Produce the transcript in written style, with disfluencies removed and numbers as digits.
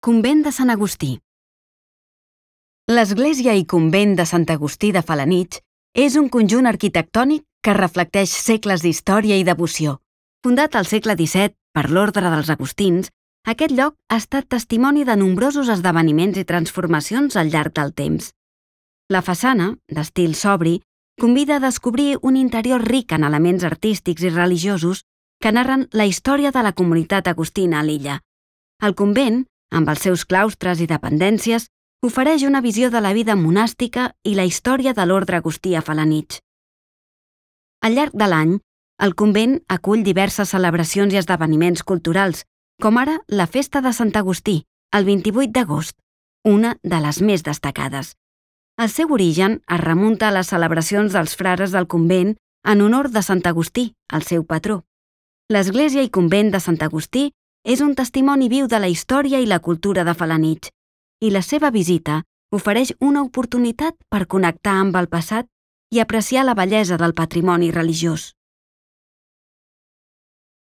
Convent de Sant Agustí. L'església i convent de Sant Agustí de Felanitx és un conjunt arquitectònic que reflecteix segles d'història i devoció. Fundat al segle XVII per l'Orde dels Agustins, aquest lloc ha estat testimoni de nombrosos esdeveniments i transformacions al llarg del temps. La façana, d'estil sobri, convida a descobrir un interior ric en elements artístics i religiosos que narren la història de la comunitat agustina a l'illa. El convent, amb els seus claustres i dependències, ofereix una visió de la vida monàstica i la història de l'ordre agustí a Felanitx. Al llarg de l'any, el convent acull diverses celebracions i esdeveniments culturals, com ara la Festa de Sant Agustí, el 28 d'agost, una de les més destacades. El seu origen es remunta a les celebracions dels frares del convent en honor de Sant Agustí, el seu patró. L'església i convent de Sant Agustí és un testimoni viu de la història i la cultura de Felanitx, i la seva visita ofereix una oportunitat per connectar amb el passat i apreciar la bellesa del patrimoni religiós.